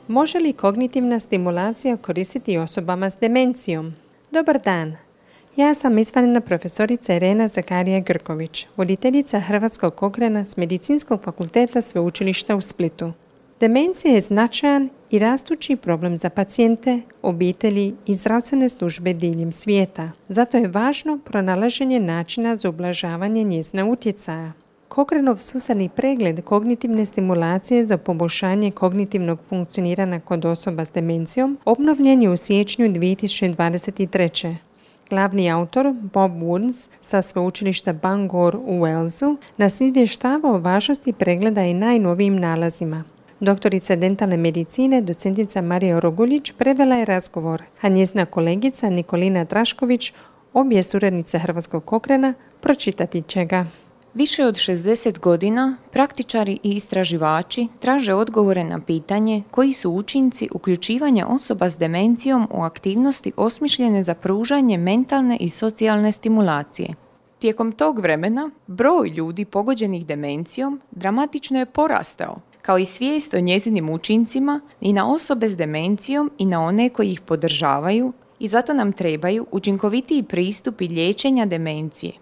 Može li kognitivna stimulacija koristiti osobama s demencijom? Dobar dan. Ja sam izvanredna profesorica Irena Zakarija-Grković, voditeljica Hrvatskog kokrena s Medicinskog fakulteta Sveučilišta u Splitu. Demencija je značajan i rastući problem za pacijente, obitelji i zdravstvene službe diljem svijeta. Zato je važno pronalaženje načina za ublažavanje njezina utjecaja. Kokrenov sustavni pregled kognitivne stimulacije za poboljšanje kognitivnog funkcioniranja kod osoba s demencijom obnovljen je u siječnju 2023. Glavni autor Bob Woods sa sveučilišta Bangor u Walesu nas izvještava o važnosti pregleda i najnovijim nalazima. Doktorica dentalne medicine, docentica Marija Roguljić, prevela je razgovor, a njezina kolegica Nikolina Drašković, obje suradnice Hrvatskog kokrena, pročitati će ga. Više od 60 godina praktičari i istraživači traže odgovore na pitanje koji su učinci uključivanja osoba s demencijom u aktivnosti osmišljene za pružanje mentalne i socijalne stimulacije. Tijekom tog vremena broj ljudi pogođenih demencijom dramatično je porastao, kao i svijest o njezinim učincima i na osobe s demencijom i na one koji ih podržavaju, i zato nam trebaju učinkovitiji pristupi liječenja demencije.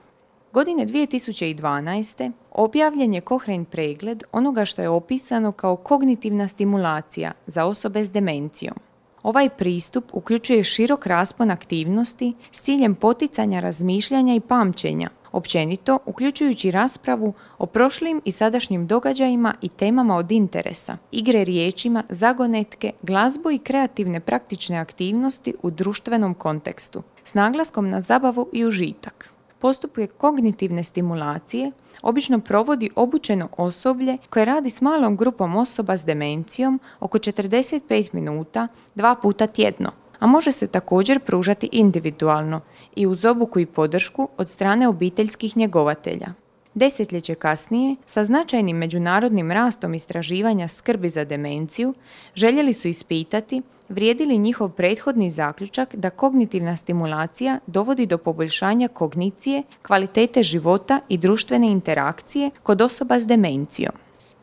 Godine 2012. objavljen je Cochrane pregled onoga što je opisano kao kognitivna stimulacija za osobe s demencijom. Ovaj pristup uključuje širok raspon aktivnosti s ciljem poticanja razmišljanja i pamćenja, općenito uključujući raspravu o prošlim i sadašnjim događajima i temama od interesa, igre riječima, zagonetke, glazbu i kreativne praktične aktivnosti u društvenom kontekstu, s naglaskom na zabavu i užitak. Postupke kognitivne stimulacije obično provodi obučeno osoblje koje radi s malom grupom osoba s demencijom oko 45 minuta 2 puta tjedno, a može se također pružati individualno i uz obuku i podršku od strane obiteljskih njegovatelja. Desetljeće kasnije, sa značajnim međunarodnim rastom istraživanja skrbi za demenciju, željeli su ispitati vrijedi li njihov prethodni zaključak da kognitivna stimulacija dovodi do poboljšanja kognicije, kvalitete života i društvene interakcije kod osoba s demencijom.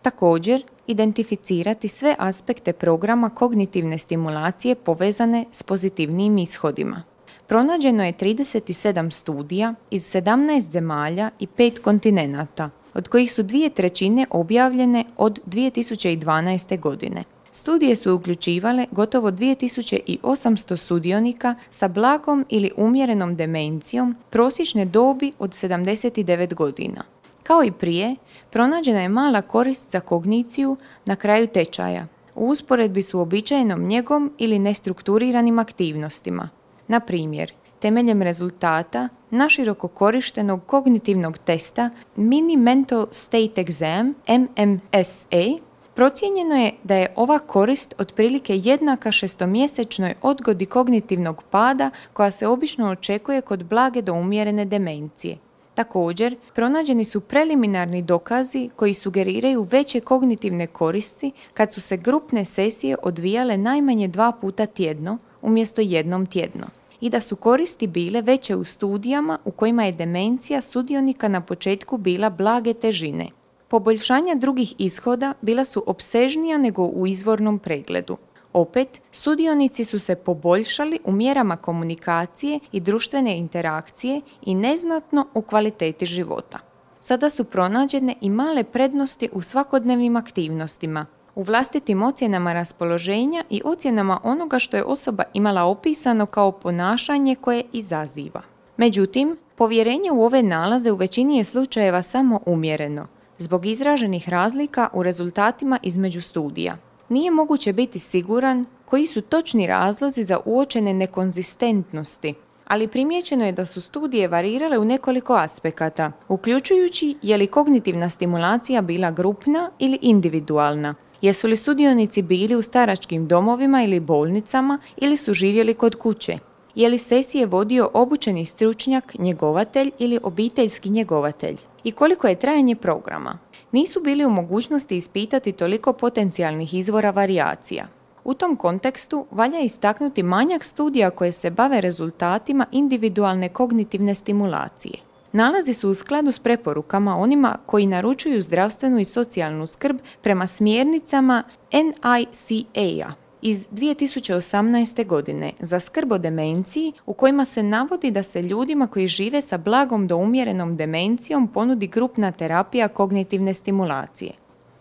Također, identificirati sve aspekte programa kognitivne stimulacije povezane s pozitivnim ishodima. Pronađeno je 37 studija iz 17 zemalja i 5 kontinenata, od kojih su 2/3 objavljene od 2012. godine. Studije su uključivale gotovo 2800 sudionika sa blagom ili umjerenom demencijom prosječne dobi od 79 godina. Kao i prije, pronađena je mala korist za kogniciju na kraju tečaja, u usporedbi s uobičajenom njegom ili nestrukturiranim aktivnostima. Na primjer, temeljem rezultata naširoko korištenog kognitivnog testa Mini Mental State Exam, MMSA, procijenjeno je da je ova korist otprilike jednaka 6-mjesečnoj odgodi kognitivnog pada koja se obično očekuje kod blage do umjerene demencije. Također, pronađeni su preliminarni dokazi koji sugeriraju veće kognitivne koristi kad su se grupne sesije odvijale najmanje 2 puta tjedno umjesto jednom tjedno i da su koristi bile veće u studijama u kojima je demencija sudionika na početku bila blage težine. Poboljšanja drugih ishoda bila su opsežnija nego u izvornom pregledu. Opet, sudionici su se poboljšali u mjerama komunikacije i društvene interakcije i neznatno u kvaliteti života. Sada su pronađene i male prednosti u svakodnevnim aktivnostima, u vlastitim ocjenama raspoloženja i ocjenama onoga što je osoba imala opisano kao ponašanje koje izaziva. Međutim, povjerenje u ove nalaze u većini je slučajeva samo umjereno, zbog izraženih razlika u rezultatima između studija. Nije moguće biti siguran koji su točni razlozi za uočene nekonzistentnosti, ali primijećeno je da su studije varirale u nekoliko aspekata, uključujući je li kognitivna stimulacija bila grupna ili individualna, jesu li sudionici bili u staračkim domovima ili bolnicama ili su živjeli kod kuće, je li sesije vodio obučeni stručnjak, njegovatelj ili obiteljski njegovatelj i koliko je trajanje programa. Nisu bili u mogućnosti ispitati toliko potencijalnih izvora varijacija. U tom kontekstu valja istaknuti manjak studija koje se bave rezultatima individualne kognitivne stimulacije. Nalazi su u skladu s preporukama onima koji naručuju zdravstvenu i socijalnu skrb prema smjernicama NICA-a. iz 2018. godine za skrb o demenciji u kojima se navodi da se ljudima koji žive sa blagom do umjerenom demencijom ponudi grupna terapija kognitivne stimulacije.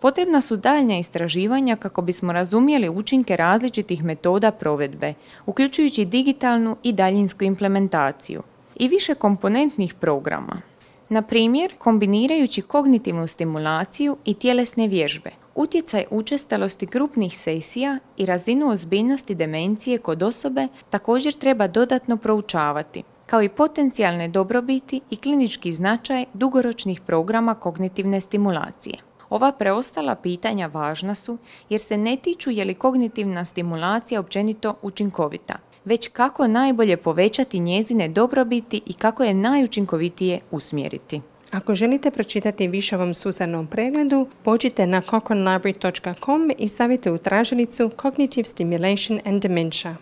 Potrebna su daljnja istraživanja kako bismo razumjeli učinke različitih metoda provedbe, uključujući digitalnu i daljinsku implementaciju i više komponentnih programa. Na primjer, kombinirajući kognitivnu stimulaciju i tjelesne vježbe, utjecaj učestalosti grupnih sesija i razinu ozbiljnosti demencije kod osobe također treba dodatno proučavati, kao i potencijalne dobrobiti i klinički značaj dugoročnih programa kognitivne stimulacije. Ova preostala pitanja važna su jer se ne tiču je li kognitivna stimulacija općenito učinkovita, već kako najbolje povećati njezine dobrobiti i kako je najučinkovitije usmjeriti. Ako želite pročitati više o ovom sustavnom pregledu, pođite na cochranelibrary.com i stavite u tražilicu Cognitive Stimulation and Dementia.